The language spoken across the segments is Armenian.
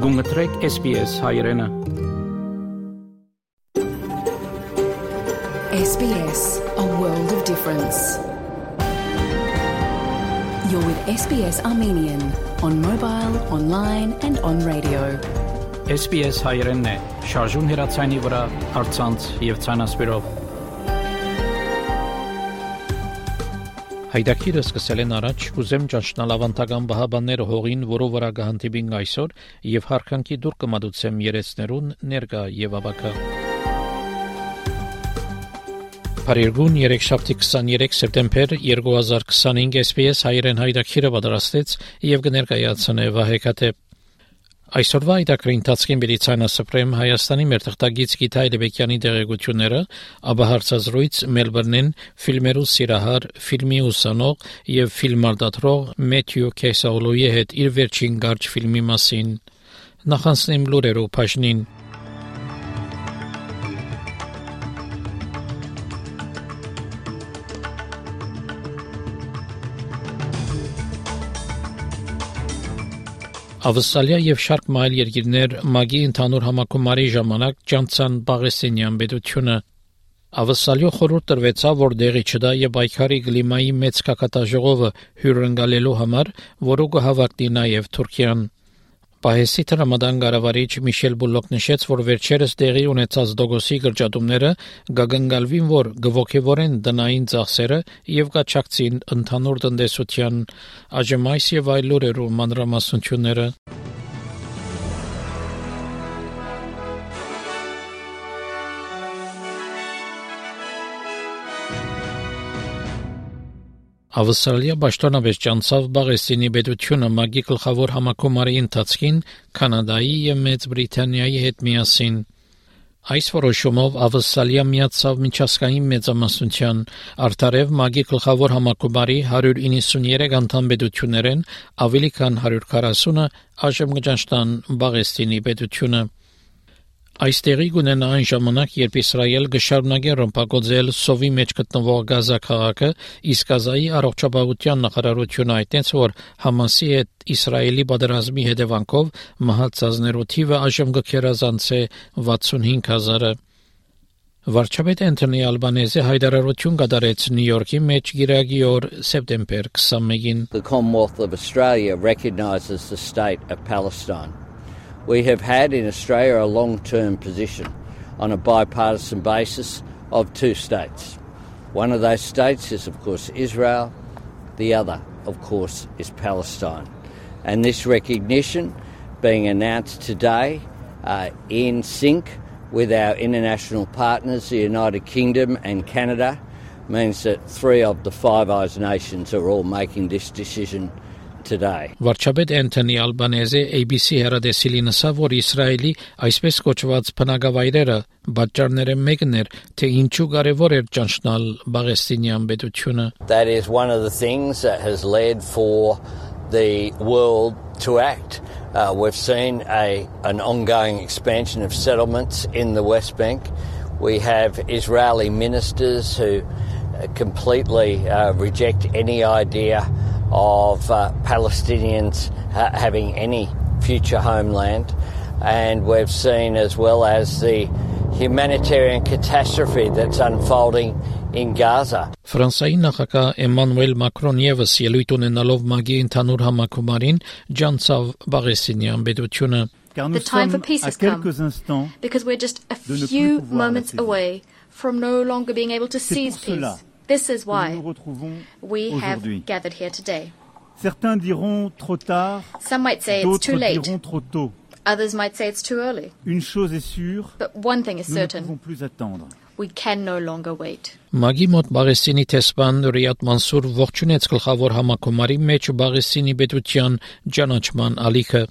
Գումտրեք SBS հայրենը։ SBS, a world of difference. You're with SBS Armenian on mobile, online and on radio. SBS հայրենն է, շարժուն հեռացանի վրա, առցանց եւ ցանասպիրով։ Հայդակիրը սկսել են առաջ, ուզեմ ճանչնալ ավանդական բահաբանները հողին, որով վրա գահանտիբին այսօր, եւ հարկանքի դուր կմադուցեմ երեցներուն ներկա եւ ավակա։ Փարիգուն 3-23 սեպտեմբեր 2025 SBS հայրեն հայդակիրը պատրաստեց եւ կներկայացնե Վահեկատե։ Այսօրվա այդակրի ընթացքին Բրիտանիա Հայաստանի մեր թղթագից Գիթայ Լեբեկյանի դերակցությունները, ապա հարցազրույց Մելբուրնին ֆիլմերու սիրահար, ֆիլմի ուսանող եւ ֆիլմարտադրող Մեթյու Քեսաուլոյի հետ իր վերջին կարճ ֆիլմի մասին։ Նախանցնեմ լուրերով բաժնին։ Ավստրալիա եւ շարք այլ երկիրներ մագի ընդհանուր համակարգի ժամանակ ճանցան Պաղեստինյան պետությունը։ Ավստրալիա խորհուրդ տրվեցավ, որ դեղի չդա եւ այքարի կլիմայի մեծ կակատաժողովը հյուրընկալելու համար, որը կհավաքնի նաեւ Թուրքիան։ Պահեսի տրամադան գարավարիչ Միշել Բուլոկ նշեց, որ վերջերս տեղի ունեցած դոգոսի կրճատումները գագնգալվին, որ գվոքեվորեն դնային ծախսերը եւ կաչակցին ընդհանուր տնտեսության ԱԺՄ-ից եւ այլ լուրերով մանրամասնությունները։ Ավստրալիա պաշտոնապես ճանցավ Պաղեստինի պետությունը մագի գլխավոր համակարգի ընթացքին Կանադայի եւ Մեծ Բրիտանիայի հետ միասին։ Այս որոշումով Ավստրալիա միացավ միջազգային մեծամասնության, արդարև մագի գլխավոր համակարգի 193 անդամ պետություններեն ավելի քան 140-ը այժմ կճանչնան Պաղեստինի պետությունը։ Այստեղի գունենա այն ժամանակ, երբ Իսրայել կշարունակի ռմբակոծել սովի մեջ գտնվող Գազա քաղաքը, իսկ Գազայի առողջապահության նախարարությունը հայտնեց, որ Համասի հետ Իսրայելի պատերազմի հետևանքով մահացածներու թիվը այժմ կգերազանցի 65,000-ը։ Վարչապետ Անթոնի Ալբանեզը հայտարարություն կատարեց Նյու Յորքի մեջ գիրակի օր սեպտեմբեր 21-ին։ The Commonwealth of Australia recognises the state of Palestine. We have had in Australia a long-term position on a bipartisan basis of two states. One of those states is, of course, Israel. The other, of course, is Palestine. And this recognition being announced today in sync with our international partners, the United Kingdom and Canada, means that 3 of the Five Eyes nations are all making this decision today. Վարչապետ Անթոնի Ալբանեզը ABC հեռադեսիլին ասավ, որ Իսրայելի այսպես կոչված բնակավայրերը պատճառները մեկն էր, թե ինչու կարևոր էր ճանչնալ Պաղեստինյան պետությունը։ That is one of the things that has led for the world to act. We've seen an ongoing expansion of settlements in the West Bank. We have Israeli ministers who completely reject any idea of Palestinians having any future homeland, and we've seen as well as the humanitarian catastrophe that's unfolding in Gaza. Ֆրանսիայի նախագահ Էմանուել Մակրոն եւս ելույթ ունենալով մագի ընդհանուր համակարգին ջանցավ Պաղեստինյան պետությունը։ The time for peace has come, because we're just a few moments away from no longer being able to seize peace. This is why we have gathered here today. Some might say it's too late. Others might say it's too early. But one thing is certain. We can no longer wait. Մագի մոտ Պաղեստինի տեսփան Ռիադ Մանսուր ողջունեց գլխավոր համակարգի մեջ Պաղեստինի պետության ճանաչման ալիքը։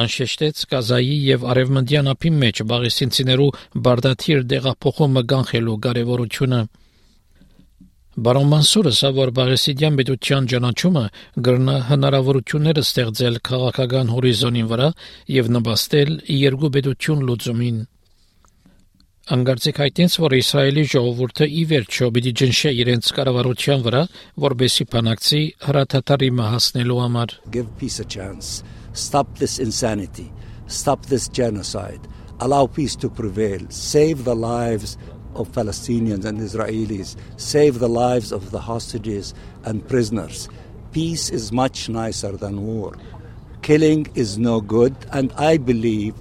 Անշեշտեց Գազայի եւ Արևմտյան ափի մեջ պաղեստինցիներու բարդաթիր դեղափոխումը կանխելու կարեւորությունը։ Բարոն Մանսուրը ասավ, Պաղեստինյան պետության ճանաչումը կգրնա հնարավորություններ ստեղծել քաղաքական հորիզոնի վրա եւ նպաստել երկու պետություն լուծումին։ Անգարցեք հայտնեց, որ Իսրայելի ժողովուրդը ի վերջո պիտի ջնշի իրենց կառավարության վրա, որպեսզի բանակցի հրաթաթարի հասնելու համար։ Give peace a chance. Stop this insanity. stop this genocide, allow peace to prevail, save the lives of Palestinians and Israelis, save the lives of the hostages and prisoners. Peace is much nicer than war. Killing is no good, and I believe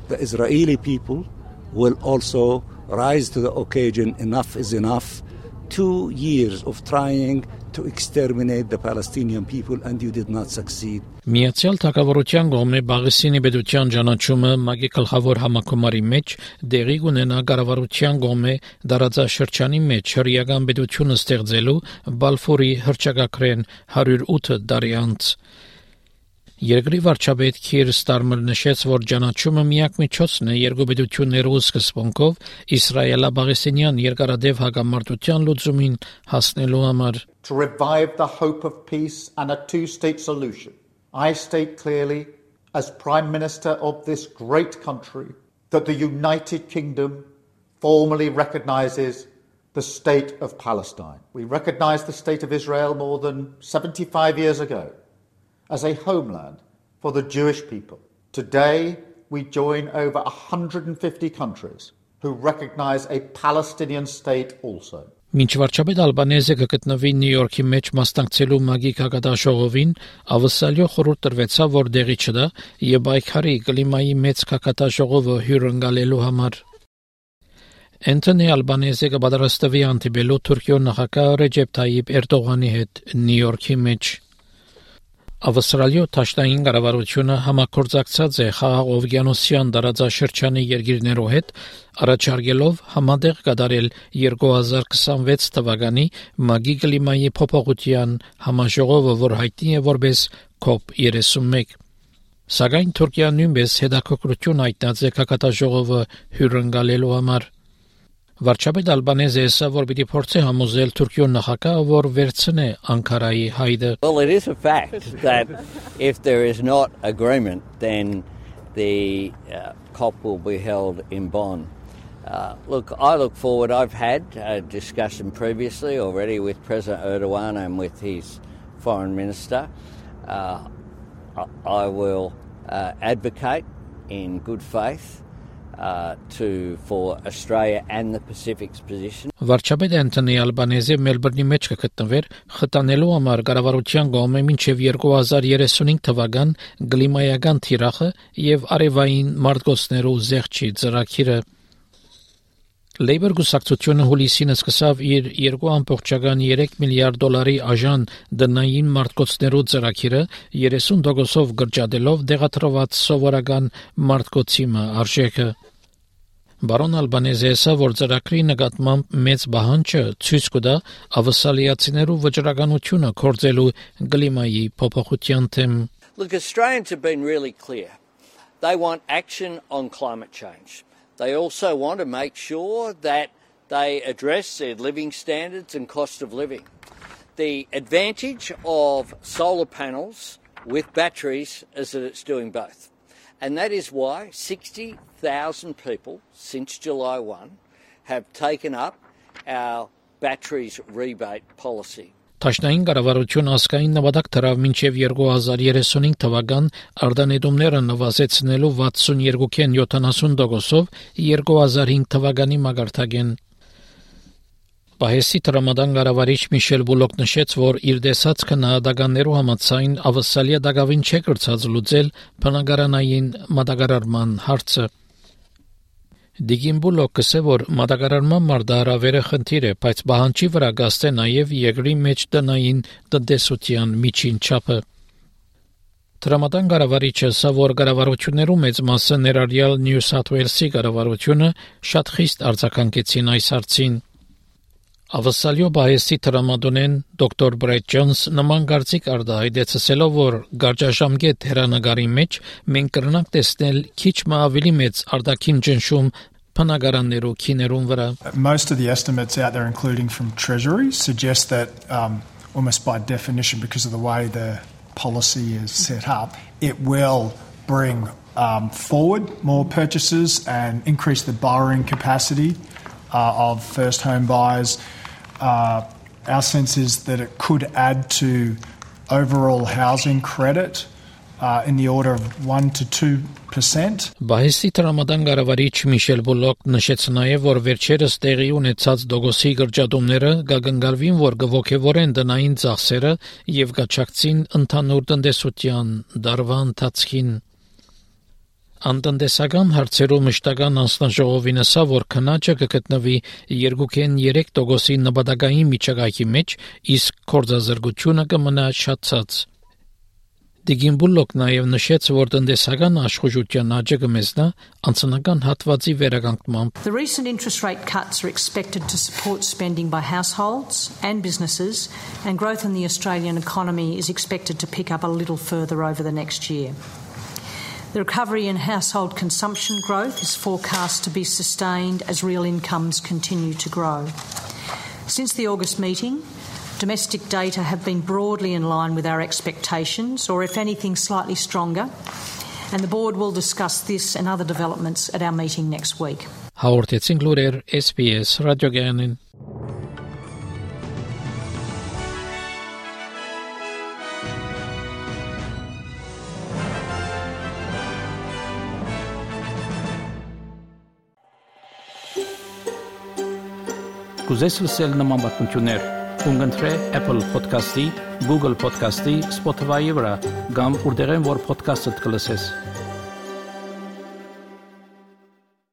the Israeli people will also rise to the occasion. Enough is enough. 2 years of trying to exterminate the Palestinian people, and you did not succeed. Միացյալ Թագավորության կողմէ Բաղեսինի պետության ճանաչումը ՄԱԳ-ի գլխավոր համակոմարի մեջ դեղի կունենա կառավարության կողմէ դարաձաշրջանի մեջ հրեական պետությունը ստեղծելու Բալֆորի հռչակագրեն 108 տարի անց։ Երկրի վարչապետ Քիր Ստարմերը նշեց, որ ճանաչումը միակ միջոցն է երկու պետություններու սկզբունքով Իսրայելա-Բաղեսինյան երկարադեպ հակամարտության լուծումին հասնելու համար։ To revive the hope of peace and a two-state solution, I state clearly, as Prime Minister of this great country, that the United Kingdom formally recognises the state of Palestine. We recognised the state of Israel more than 75 years ago as a homeland for the Jewish people. Today, we join over 150 countries who recognise a Palestinian state also. Մինչ վարչապետ Ալբանեզը կգտնվի Նյու Յորքի մեջ մասնակցելու ՄԱԳ-ի քաղաքաշողովին, ավսալյո խորհուրդ տրվեցավ, որ դեղի չդա եւ բայկարի կլիմայի մեծ քաղաքաշողովը հյուրընկալելու համար։ Անտոնի Ալբանեզը կպատրաստվի հանդիպելու Թուրքիո նախագահ Ռեջեփ Թայիփ Էրդողանի հետ Նյու Յորքի մեջ։ Ավստրալիո Թաշտային կառավարությունը համագործակցած է Խաղաղօվկիանոսյան տարածաշրջանի երկիրներով հետ, առաջարկելով համատեղ կատարել 2026 թվականի ՄԱԳ-ի կլիմայի փոփոխության համաժողովը, որ հայտնի է որպես COP31։ Սակայն Թուրքիան նույնպես հետաքրքրություն հայտնած է քաղաքաշողովը հյուրընկալելու համար։ Վարչապետ Ալբանեզը ասա, որ պիտի փորձի համոզել Թուրքիո նախագահը, որ վերցնե Անկարայի հայդը։ Well, it is a fact that if there is not agreement, then the COP will be held in Bonn. Look, I look forward. I've had a discussion previously already with President Erdogan and with his foreign minister. I will advocate in good faith for Australia and the Pacific's position. Վարչապետ Անտոնի Ալբանեզը Մելբուրնի մեջ կգտնվեր խթանելու համար կառավարության կողմէ մինչև 2035 թվական կլիմայական թիրախը եւ արևային մարտկոցներու զեղչի ծրագիրը։ Լեյբոր գուսակցությունը հուլիսին սկսավ իր 2.3 միլիարդ դոլարի աժան դնային մարտկոցներու ծրագիրը 30%-ով գրճատելով դեղատրված սովորական մարտկոցիմը արժեքը։ Բարոն Ալբանեզը ասա, որ ծրագրի նկատմամբ մեծ բանջը ցույց կտա ավսալիացիներու վճռականությունը կորձելու կլիմայի փոփոխության թեմ։ Look, Australians have been really clear. They want action on climate change. They also want to make sure that they address their living standards and cost of living. The advantage of solar panels with batteries is that it's doing both. And that is why 60,000 people since July 1 have taken up our batteries rebate policy. Թաշնային կառավարությունը ասկային նպատակ դրավ մինչև 2035 թվական արտանետումները նվազեցնելու 62.70%-ով 2005 թվականի մակարդակին։ Պահեսի տրամադան կառավարիչ Միշել Բուլոկ նշեց, որ իր դեսած քննադատականներու համաձայն ավսալիա դակավին չէ կրծած լուծել բնակարանային մատակարարման հարցը։ Դիգին Բուլոկը ասել, որ մատակարարման մարտահրավերը խնդիր է, բայց բանջի վրա գաստե նաև երկրի մեջ տնային տնտեսության միջին չափը։ Տրամադան կառավարիչը ասա, որ կառավարություններու մեծ մասը ներառյալ Նյու Սաթ Ուելսի կառավարությունը շատ խիստ արձագանքեցին այս հարցին։ Ավսալիո Պահեսի տրամադոնեն դոկտոր Բրեդ Ջոնս նման կարծիք արտահայտեցելով, որ գարճաշամկետ հերանագարի մեջ մենք կրնանք տեսնել քիչ մը ավելի մեծ արտաքին ճնշում բնակարաններու քիներուն վրա։ Most of the estimates out there, including from Treasury, suggest that almost by definition, because of the way the policy is set up, it will bring forward more purchases and increase the borrowing capacity of first home buyers. Our sense is that it could add to overall housing credit in the order of 1 to 2%. Բահեսի տրամադան գարավարիչ Միշել Բուլոկ նշեց նաև, որ վերջերս տեղի ունեցած դոգոսի գրճատումները գագնգալվին, որ գողոքևորեն դնային ծախսերը եւ գաչակցին ընդհանուր տնտեսության դարվա ընթացքին։ Անտնտեսական հարցերով մշտական անձնաժողովին ասա, որ քննաճը կգտնվի 2.3% նպատակային միջակայքի մեջ, իսկ գործազրկությունը կմնա շատացած։ Դիգինբուլոկ նաև նշեց, որ տնտեսական աշխուժության աճը կմեզնա անձնական հատվածի վերականգնմամբ։ The recent interest rate cuts are expected to support spending by households and businesses, and growth in the Australian economy is expected to pick up a little further over the next year. The recovery in household consumption growth is forecast to be sustained as real incomes continue to grow. Since the August meeting, domestic data have been broadly in line with our expectations, or if anything, slightly stronger, and the board will discuss this and other developments at our meeting next week. Հաղորդեցին լուրեր SBS ռադիոգյանին։ Կուզես լսել նման բանություններ, կընտրե Apple Podcast-ի, Google Podcast-ի, Spotify-ի վրա, կամ որտեղեն որ podcast-ը կլսես։